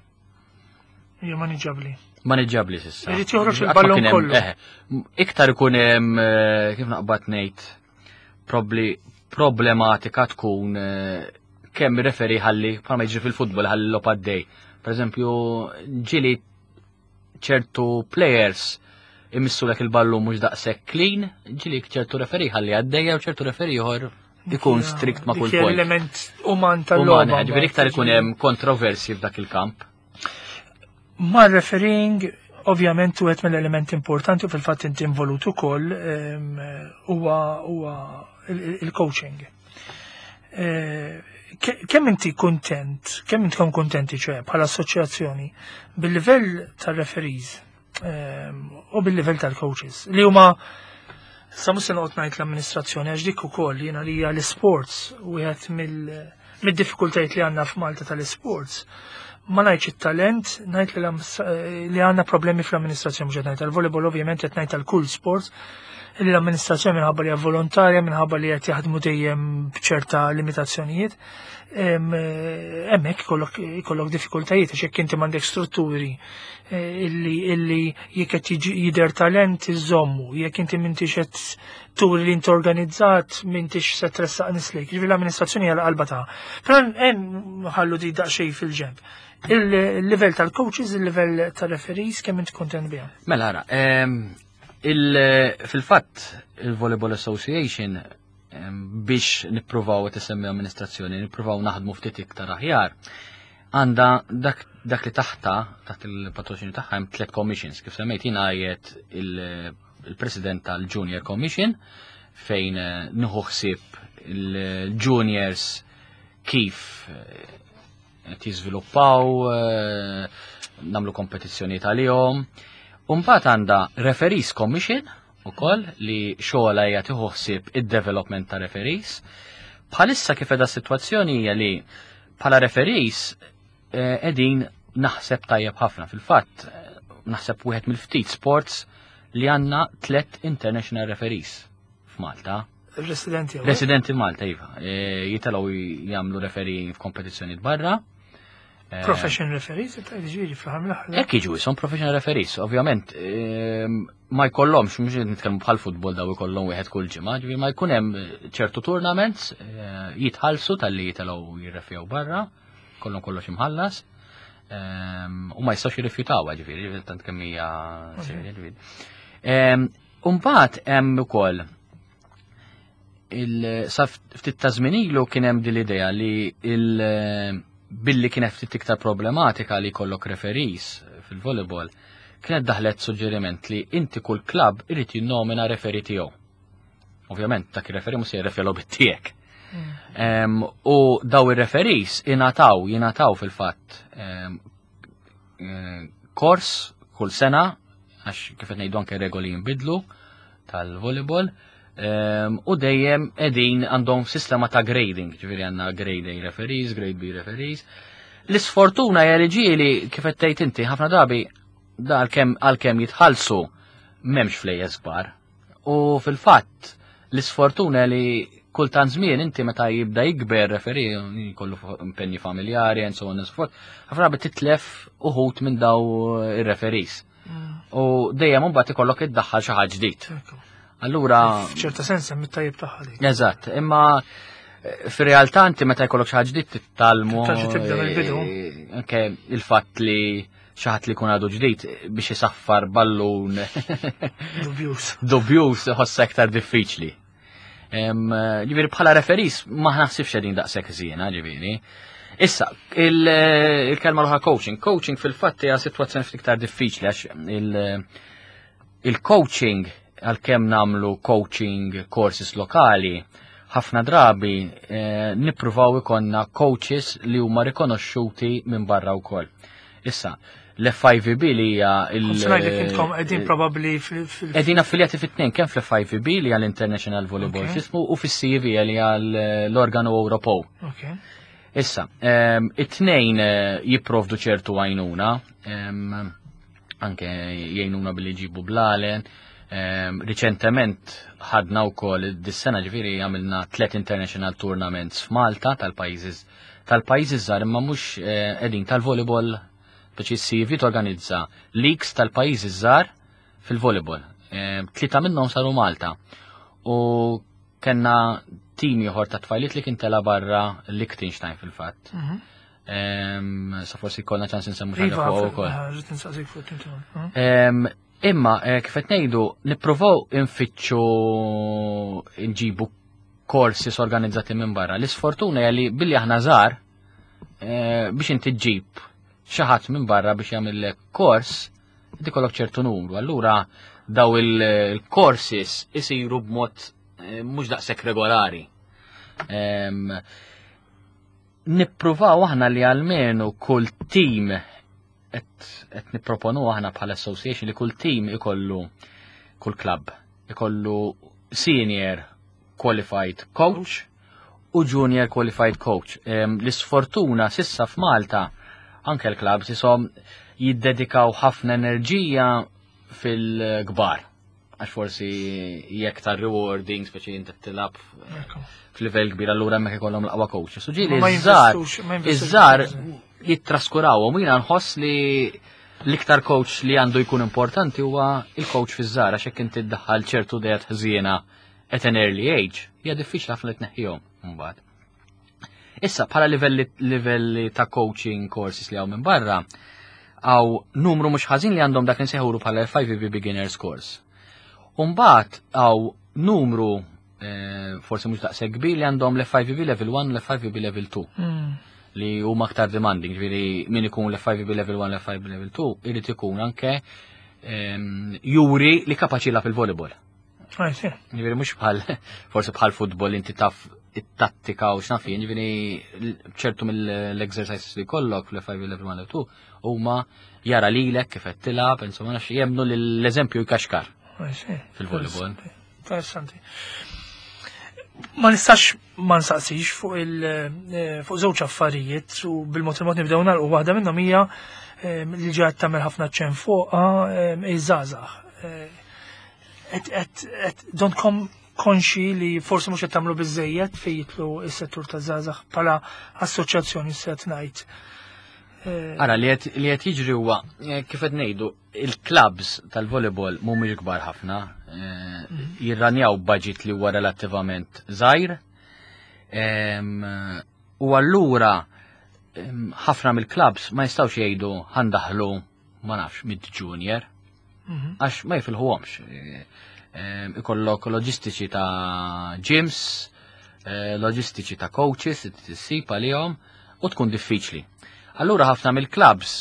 Hija maniġġabbli. Maniġġabbli sissa. Irid joħroġ il-ballon kollu. Eh, iktar ikun hemm eh, kif naqbad ngħid probli problematika tkun eh, kemm referi ħalli bħalma jiġri fil-futbol ħalli l għaddej. Per eżempju, ġili ċertu players imissu lek il-ballun mhux daqshekk clean, ġili ċertu referi ħalli għaddejja u ċertu referi ieħor ikun strikt ma' kull punt. Element uman tal-logħba. Ġifieri iktar ikun hemm kontroversi f'dak il-kamp. Ma' refereeing Ovvjament wieħed mill-elementi importanti u fil-fatt inti involut ukoll huwa huwa il-coaching. Kemm inti kuntent, kemm intkom kuntenti ċe bħala assoċjazzjoni bil-livell tal-referees u bil-livell tal-coaches li huma sa mhux se noqgħod ngħid l-amministrazzjoni għax dik ukoll jiena li hija l-isports wieħed mill-diffikultajiet li għandna f'Malta tal-isports. Ma ngħidx it-talent, ngħid li għandna problemi fl-amministrazzjoni mhux qed ngħid tal-volleyball ovvjament qed ngħid tal-kull sport li l-amministrazzjoni minħabba li hija volontarja, minħabba li qed jaħdmu dejjem b'ċerta limitazzjonijiet, hemmhekk ikollok diffikultajiet għax jekk inti m'għandek strutturi illi jekk qed jidher talent iżommu, jekk inti m'intix qed turi li inti organizzat m'intix se tressaq nislek. Ġifieri l-amministrazzjoni hija l-qalba ta' Però hemm ħallu di daqsxejn fil-ġenb. Il-livell tal-coaches, il-livell tal-referees, kemm inti kontent biha? Mela ara, fil-fatt il-Volleyball Association biex nippruvaw qed amministrazzjoni, nippruvaw naħdmu ftit iktar aħjar, għandha dak li taħta, taħt il-patroċinju tagħha hemm tliet commissions, kif semmejt jiena għajet il-president tal-Junior Commission fejn nieħu ħsieb il-juniors kif qed jiżviluppaw, nagħmlu kompetizzjoni tal-jom. Mbagħad għandha Referees Commission ukoll li xogħla hija tieħu ħsieb id-development ta' referees. Bħalissa kif qiegħda s-sitwazzjoni hija li bħala referees qegħdin naħseb tajjeb ħafna. Fil-fatt naħseb wieħed mill-ftit sports li għandna tlet international referees f'Malta. Residenti. Residenti Malta, iva. Jitilgħu jagħmlu referee f'kompetizzjonijiet barra. Profession referees, ġifieri fl-aħħar mill-aħħar. Hekk jiġu ishom professional referees, ovvjament ma jkollhomx, mhux nitkellmu bħal futbol daw ikollhom wieħed kull ġimgħa, ġifieri ma jkun hemm ċertu tournaments jitħallsu talli jitilgħu jirrefjaw barra, kollhom kollox imħallas. U ma jistgħux jirrifjutaw, ġifieri, tant kemm hija serja, ġifieri. Mbagħad hemm ukoll sa ftit ta' żmien ilu kien hemm din l-idea li billi kienet ftit iktar problematika li jkollok referees fil-volleyball, kienet daħlet suġġeriment li inti kull klabb irid jinnomina referee tiegħu. Ovvjament dak ir-referee mhux se jirreferi bit-tiegħek. U daw ir-referees jingħataw fil-fatt kors kull sena, għax kif qed ngħidu anke regoli jinbidlu tal-volleyball, u dejjem qegħdin għandhom sistema ta' grading, ġifieri għandna grade A referees, grade B referees. L-isfortuna hija li ġieli kif qed tgħid inti ħafna drabi da għalkemm jitħallsu m'hemmx flejjes kbar. U fil-fatt l-isfortuna li kultant żmien inti meta jibda jikber referee jkollu impenji familjari and so on and so forth, ħafna drabi titlef uħut minn daw ir-referees. U dejjem imbagħad ikollok iddaħħal xi ħadd ġdid. Allura F'ċerta sens hemm it-tajjeb tagħha dik. Eżatt, imma fir-realtà inti meta jkollok xi ħadd ġdid titgħallmu. Tarġa' tibda mill-bidu. Anke il-fatt li xi ħadd li jkun għadu ġdid biex isaffar ballun Dubjus. Dubjus iħossha iktar diffiċli. Ġifieri bħala referees ma naħsibx qegħdin daqshekk żiena, ġifieri. Issa, il-kelma l coaching. Coaching fil-fatt hija sitwazzjoni ftit iktar diffiċli għax il-coaching għalkemm nagħmlu coaching courses lokali, ħafna drabi nippruvaw ikollna coaches li huma rikonoxxuti minn barra wkoll. Issa, l-FIVB li hija il- Kont ngħidlek intkom qegħdin probabbli fil- Qegħdin affiljati fit-tnejn kemm fl-FIVB li hija l-International Volleyball System u fis-CEV li hija l-organu Ewropew. Issa, it-tnejn jipprovdu ċertu għajnuna, anke jgħinuna billi jġibu blalen. Riċentement ħadna wkoll dis-sena ġifieri għamilna 3 international tournaments f'Malta tal-pajjiżi żgħar imma mhux qegħdin tal-volleyball biex is-CV torganizza leagues tal-pajjiżi żgħar fil-volleyball. 3 minnhom saru Malta. U kellna tim ieħor ta' tfajliet li kien tela barra Liechtenstein fil-fatt. Sa forsi jkollna ċans insemmu xi ħaġa Iva, fuq ukoll. Ġiet insaqsik fuq tim tiegħu. Imma kif qed ngħidu nippruvaw infittxu nġibu courses organizzati minn barra. L-isfortuna hija li billi aħna żgħar biex inti ġġib xi ħadd minn barra biex jagħmillek kors Inti kollok ċertu numru, allura daw il-courses isiru b'mod mhux daqshekk regolari. Nippruvaw aħna li almenu kull team qed nipproponu aħna bħala association li kull team ikollu, kull club ikollu senior qualified coach u junior qualified coach. L-isfortuna sissa f'Malta anke l-clubs isom jiddedikaw ħafna enerġija fil-kbar. Għax forsi jekk ta' rewarding, speċi inti tilgħab f'livell kbir, allura hemmhekk ikollhom l-aqwa coach. So ġieli Ma iż-żgħar jinvestux, ma jinvestux iż-żgħar biżżejjed. jittraskurawhom u jiena nħoss li l-iktar coach li għandu jkun importanti huwa il-coach fiż-żgħar, għax jekk inti ddaħħal ċertu ideat ħżiena at an early age, hija diffiċli ħafna li tneħħihom mbagħad. Issa bħala livelli ta' coaching courses li hawn minn barra, hawn numru mhux ħażin li għandhom dak li nsejħulu bħala FIVB Beginners Course. Umbagħad hawn numru forsi mhux daqshekk kbir li għandhom l-FIVB Level 1 u l-FIVB Level 2. Li huma aktar demanding, ġifieri min ikun l-FIVB Level 1 u l-FIVB Level 2 irid ikun anke juri li kapaċi jilgħab il-volleyball. I see. Ġifieri mhux forsi bħal futbol inti taf it-tattika u x'naf jien, ġifieri ċertu mill-exercises li kollok fl-FIVB Level 1 Level 2 huma jara lilek kif qed tilgħab, insomma nafx jemnu li l-eżempju jkaxkar I see. fil-volleyball. Interessanti. Ma nistax ma nsaqsix fuq żewġ affarijiet u bil-mod il-mod nibdew nagħlqu. Waħda minnhom hija li ġiet tagħmel ħafna ċen fuqha iż-żgħażagħ. Et donkom konxi li forsi mhux qed tagħmlu biżejjed fejn jitlu s-settur taż-żgħażagħ bħala assoċjazzjoni se ngħid. Ara, li qed jiġri huwa kif qed ngħidu, il-clubs tal-volleyball mhumiex kbar ħafna, jirranjaw budget li huwa relattivament żgħir. U allura ħafna mill-clubs ma jistgħux jgħidu ħandaħlu ma nafx mid-junior, għax ma jifilħuhomx. Ikollok loġistiċi ta' gyms, loġistiċi ta' coaches, tissib għalihom u tkun diffiċli. Allura ħafna mill-clubs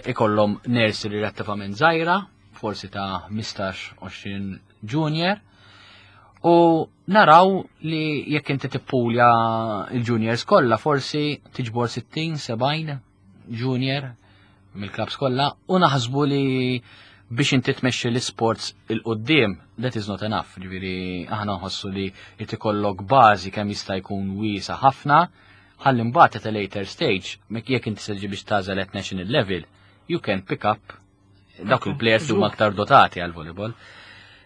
ikollhom nursery relattivament żgħira, forsi ta' 15-20 junior, u naraw li jekk inti tippulja il-juniors kollha forsi tiġbor 60-70 junior mill-clubs kollha, u naħsbu li biex inti tmexxi l-sports il-qoddim, that is not enough. Ġifieri aħna nħossu li jrid ikollok bażi kemm jista' jkun wiesa ħafna, ħalli mbagħad at a later stage, jekk inti se biex tagħżel at national level, you can pick up dawk il-players li huma aktar dotati għal volleyball.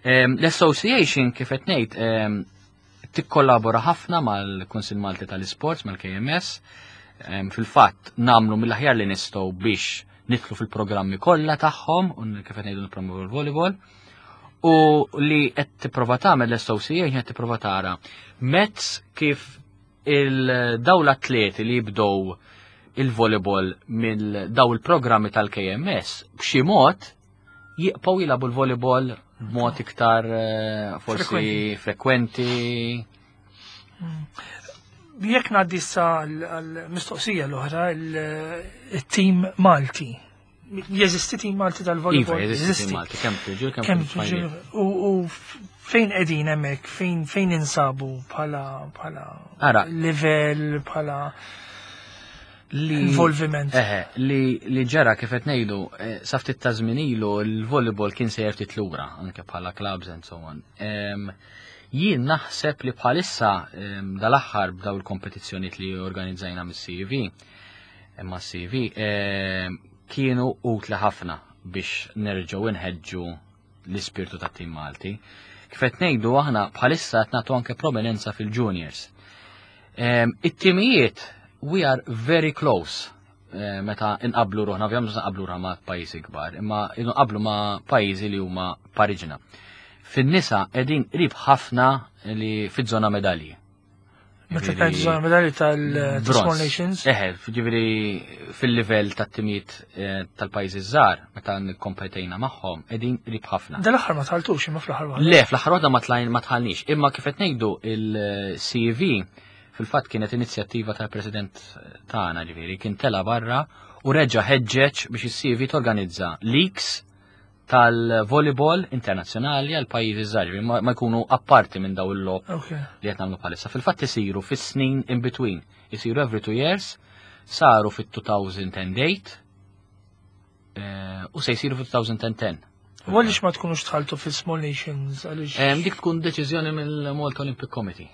L-association kif qed ngħid tikkollabora ħafna mal-Kunsill Malti tal-Isports, mal-KMS. Fil-fatt nagħmlu mill-aħjar li nistgħu biex nidħlu fil-programmi kollha tagħhom u kif qed ngħidu nippromovu l-volleyball. U li qed tipprova tagħmel l-association qed tipprova tara mezz kif il-daw l-atleti li jibdew il-volleyball mill daw il-programmi tal-KMS b'xi mod jibqgħu jilagħbu l-volleyball b'mod iktar forsi Frekwenti. frekwenti. Jekk ngħaddi issa għall-mistoqsija l-oħra, il-tim Malti. Jeżisti tim Malti tal-volleyball? Iva, jeżisti tim Jeżisti. Malti, kemm fil-ġur, kemm Kemm fil-ġur. fil-ġur. U fejn qegħdin hemmhekk, fejn insabu bħala Ara. livell, bħala Li involviment? Eħe, li ġara kif qed ngħidu, sa ftit ta' żmien ilu l-volleyball kien sejjer ftit lura, anke bħala clubs and so on. Jien naħseb li bħalissa dal-aħħar b'daw il-kompetizzjonijiet li organizzajna mis-CV, imma CV kienu utli ħafna biex nerġgħu nħeġġu l-ispirtu tat-tim Malti. Kif qed ngħidu aħna bħalissa qed nagħtu anke prominenza fil-juniors. It-timijiet we are very close meta inqablu ruħna, ovvjament mhux nqablu ruħna ma' pajjiżi kbar, imma inqablu ma' pajjiżi li huma pariġna. Fin-nisa qegħdin qrib ħafna li fiż-żona medalji. Meta Ġifieri tgħid żona medalji bronz. tal-Small Nations? Eħe, ġifieri fil-livell tat-timijiet tal-pajjiżi żgħar, meta nikkompetejna magħhom, qegħdin qrib ħafna. Dal-aħħar ma tħaltux, imma fl-aħħar waħda. Le, fl-aħħar waħda ma tħallniex, imma kif qed ngħidu il-CV fil-fatt kienet inizjattiva tal-President tagħna, ġifieri kien tela barra u reġa' ħeġġeġ biex is-CV torganizza leagues tal-volleyball internazzjonali għal pajjiżi żgħar, ma jkunu apparti minn daw il-logħob li qed nagħmlu bħalissa. Fil-fatt isiru fis-snin in between, isiru every 2 years, saru fit-2008 u se jsiru fit-2010. U għaliex ma tkunux dħaltu fi Small Nations? Għaliex? Dik tkun deċiżjoni mill-Malta Olympic Committee.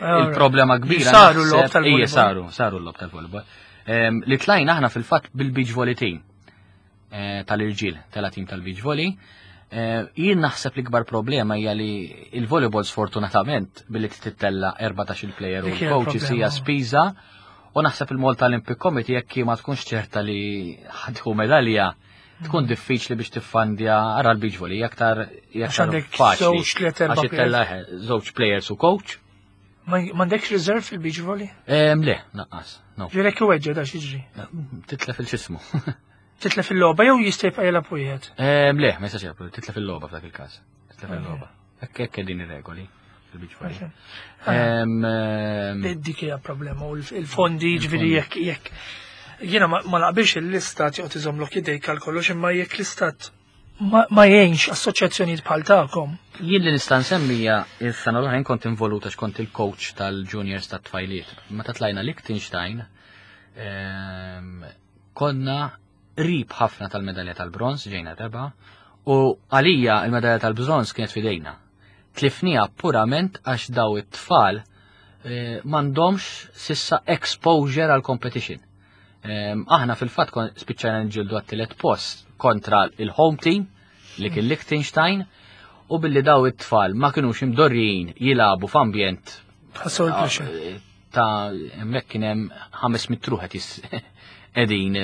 Il-problema kbira. Saru l-logħob tal-volleyball. Ija, saru l-logħob tal-volleyball. Li tlajna aħna fil-fatt bil-beach volley team tal-irġiel, tal-team tal-beach volley. Jien naħseb li kbar problema hija li il-volleyball, sfortunatament, billi tittella 14 il-player u Dik hija l-coaches l-problema. hija spiża u naħseb il-Malta Olympic Committee, jekk ma tkunx ċerta li ħa tieħu medalja, tkun diffiċli biex tiffandja. Ara l-beach volley aktar Għax aktar għandek faċli. żewġ, tliet, erba' Għax ittella żewġ players u coach. M'għandekx reserve fil-beach volley? Le, naqqas, no. Ġirek iweġġa da xiġri. Titlef il-xismu. Titlef il-logħba jew jista' jibqa' jilgħab wieħed? Le, ma jistax jilgħab, titlef il-logħba f'dak il-każ. Titlef il-logħba. Hekk din ir-regoli fil-beach volley. Dik hija problema u il-fondi, ġifieri, jekk jiena ma naqbilx l-istat joqgħod iżomlok idejk għal kollox, imma jekk l-istat ma jgħinx assoċjazzjonijiet bħal tagħkom. Jien li nista' nsemmija, is-sena l-oħra jien kont involuta x'kont il-coach tal-juniors tat-tfajliet. Meta tlajna Liechtenstein, konna qrib ħafna tal-medalja tal-bronz, ġejna reba, u għalija il-medalja tal-bronz kienet fidejna. Tlifnija purament għax daw it-tfal m'għandhomx s'issa exposure għal competition. Aħna fil-fatt spiċċajna nġildu għat-tielet post kontra il-home team li kien Liechtenstein u billi daw it-tfal ma kienux imdorrijin jilagħbu f'ambjent Ħassew il-pressure. Ta' hemmhekk kien hemm 500 ruħ qegħdin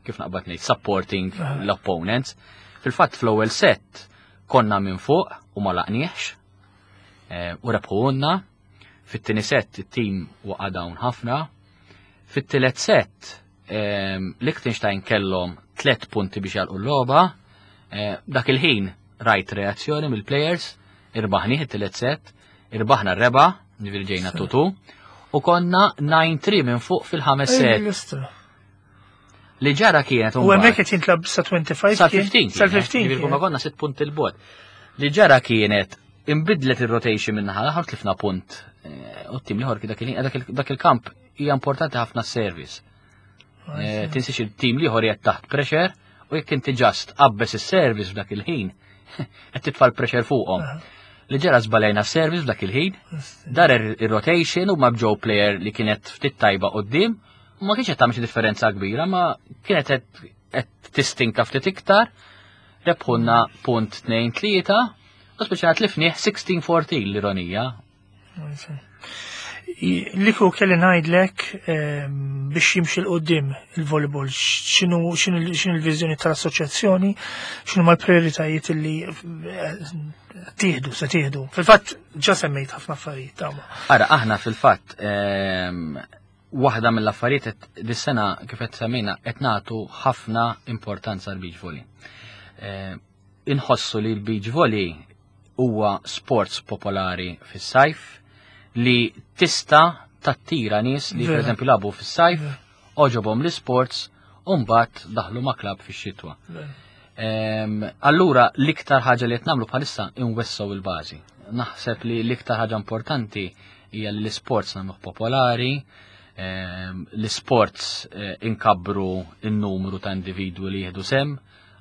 kif naqbad ngħid, supporting l-opponents. Fil-fatt fl-ewwel set konna minn fuq u ma laqniex u rebħuna. Fit-tieni set it-team waqa' down ħafna. Fit-tielet set Liechtenstein kellhom 3 punti biex jagħlqu l-logħba. Dak il-ħin rajt reazzjoni mill-players, irbaħni it-tielet set, irbaħna r-rebgħa, ġifieri ġejna 2-2, u konna 9-3 minn fuq fil-ħames set. L-istra. Li ġara kienet U hemmhekk qed jintlab sa 25 Sa kien? 15. Sa 15. Ġifieri kuna konna 6 punti 'l bogħod. Li ġara kienet imbidlet il-rotation minn naħa l-aħħar, tlifna punt. U t-tim l-ieħor dak il-kamp hija importanti ħafna service. Tinsiex il-tim l-ieħor qiegħed taħt pressure u jekk inti just qabbes is-service f'dak il-ħin, qed titfa' l-pressure fuqhom. Li ġara, żbalejna service f'dak il-ħin, dar il-rotation u ma bġew player li kienet ftit tajba quddiem, u ma kienx qed tagħmel xi differenza kbira, ma kienet qed tistinka ftit iktar, rebħunna punt 2-3, u speċjali tlifnieh 16-14, l-ironija. Li kieku kelli ngħidlek biex jimxi 'l quddiem il-volleyball, x'inhu l-viżjoni tal-assoċjazzjoni, x'inhu mal-prioritajiet li tieħdu, se tieħdu? Fil-fatt ġa semmejt ħafna affarijiet tama. Ara, aħna fil-fatt waħda mill-affarijiet dis-sena, kif qed semmejna, qed nagħtu ħafna importanza l beach volley. Inħossu li l-beach volley huwa sports popolari fis-sajf li tista' tattira nies li pereżempju lagħbu fis-sajf, għoġobhom l-sports u mbagħad daħlu ma' klabb fix-xitwa. Allura l-iktar ħaġa li qed nagħmlu bħalissa inwessgħu il-bażi. Naħseb li l-iktar ħaġa importanti hija li l-sports nagħmluh popolari, l-sports inkabbru n-numru ta' individwi li jieħdu sehem,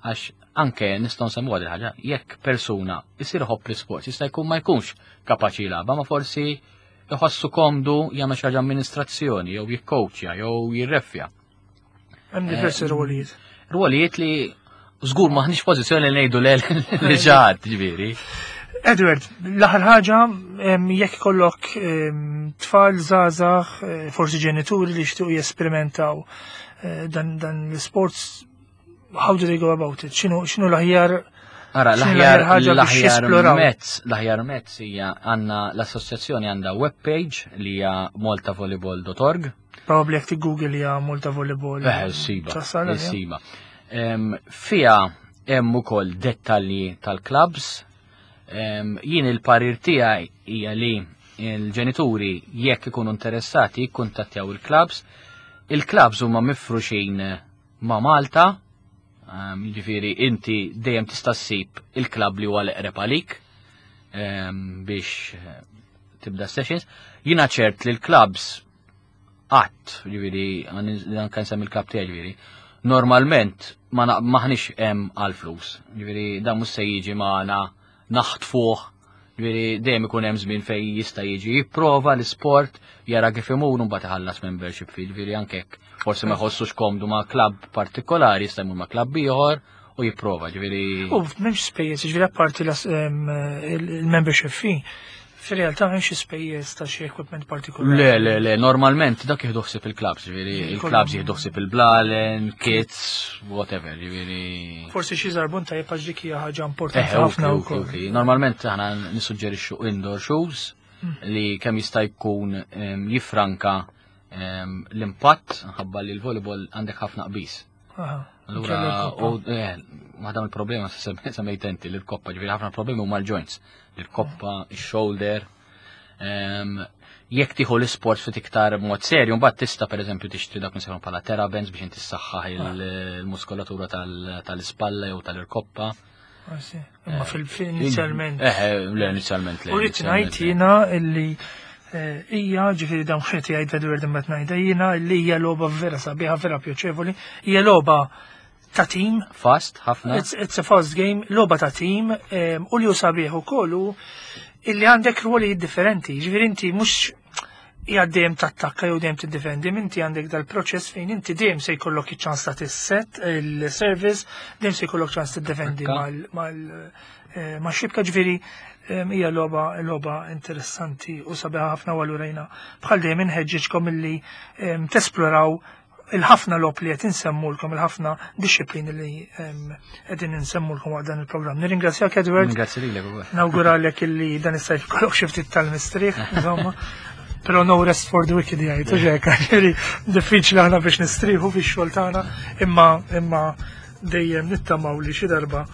għax anke nistgħu nsemmu għad ħaġa, jekk persuna jsir iħobb l-sports, jista' jkun ma jkunx kapaċi jilgħabha, ma forsi jħossu komdu jagħmel xi ħaġa amministrazzjoni jew jikkowċja jew jirreffja. Hemm diversi rwolijiet. Rwolijiet li żgur maħniex pożizzjoni li ngħidu le li ġaħat, ġifieri. Edward, l-aħħar ħaġa, jekk kollok tfal żgħażagħ, forsi ġenituri li jixtiequ jesperimentaw dan l-sports, how do they go about it? X'inhu l-aħjar Ara, x'inhu l-aħjar l-aħjar ħaġa biex l-aħjar jesploraw? mezz, l-aħjar mezz hija għandna l-assoċjazzjoni għandha webpage li hija maltavolleyball.org. Probably jekk Google hija Malta Volleyball. Siba, Tasal, għalija? siba. Fija hemm ukoll dettalji tal-clubs. Jien il-parir tiegħi hija li il-ġenituri, jekk ikunu interessati, jikkuntattjaw il-clubs. Il-clubs huma mifruxin ma' Malta. Jiġifieri inti dejjem tista' ssib il-klabb li huwa l-eqreb għalik biex tibda sessions. Jiena ċert li l-klabbs qatt, ġifieri anke nsemmi l-klabb tiegħi ġifieri, normalment ma maħniex hemm għal flus. Ġifieri dan mhux se jiġi magħna naħtfuh, ġifieri dejjem ikun hemm żmien fejn jista' jiġi jipprova l-isport, jara kif imur u mbagħad iħallas membership fee, ġifieri anke hekk forsi ma jħossux komdu ma' klabb partikolari, jista' jmur ma' klabb ieħor u jipprova, ġifieri. U m'hemmx spejjeż, ġifieri apparti il-membership fee, fir-realtà m'hemmx spejjeż ta' xi equipment partikolari. Le, le, le, normalment dak jieħdu ħsieb il-clubs, ġifieri il-clubs jieħdu ħsieb il-blalen, kits, whatever, ġifieri. Forsi xi żarbun tajjeb għax dik hija ħaġa importanti ħafna wkoll. Normalment aħna nissuġġerixxu indoor shoes li kemm jista' jkun jifranka l-impatt ħabba li l-volleyball għandek ħafna qbiż. Allura, u waħda mill-problema semmejt inti li l-koppa, ġifieri ħafna problemi huma l-joints, l-koppa, il-shoulder. Jekk tieħu l-isport ftit iktar b'mod serju, mbagħad tista' pereżempju tixtri dak nsejħu bħala therabbands biex inti ssaħħaħ il-muskolatura tal-ispalla jew tal-irkoppa. Imma fil-inizjalment. Le, inizjalment le. U rrid ngħid jiena illi hija ġifieri dawn xejn jgħid Edward imma ngħidha jiena illi hija logħba vera sabiħa, vera pjaċevoli, hija logħba ta' team. Fast, ħafna. It's a fast game, logħba ta' team, u li hu sabiħ ukoll hu illi għandek ruoli differenti, ġifieri inti mhux hija dejjem tattakka jew dejjem tiddefendi, inti għandek dal-proċess fejn inti dejjem se jkollok iċ-ċans ta' tisset il-service, dejjem se jkollok ċans tiddefendi ma' xibka, ġifieri hija logħba interessanti u sabiħa ħafna u allura jiena bħal dejjem inħeġġeġkom illi tesploraw il-ħafna logħob li qed insemmulkom, il-ħafna disciplini li qegħdin insemmulkom waqt dan il-programm. Nirringrazzjak Edward. Ringrazzja lilek ukoll. Nawguralek illi dan is-sajf ikollok xi ftit tal-mistrieħ, insomma. Però no rest for the wicked jgħid, u hekk, ġifieri diffiċli aħna biex nistrieħu fix-xogħol tagħna, imma dejjem nittamaw li xi darba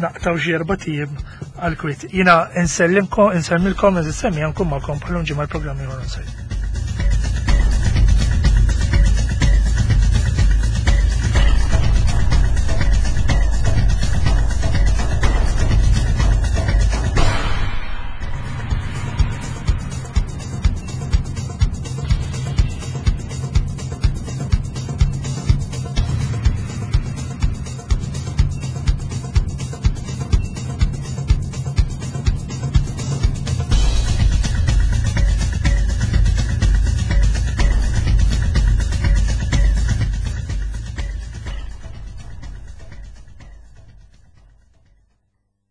naqtaw xi erba' tiem għal kwiet. Jiena nsellimkom, insellmilkom, nsemmi nkun magħkom bħal ġimgħa l-programm ieħor.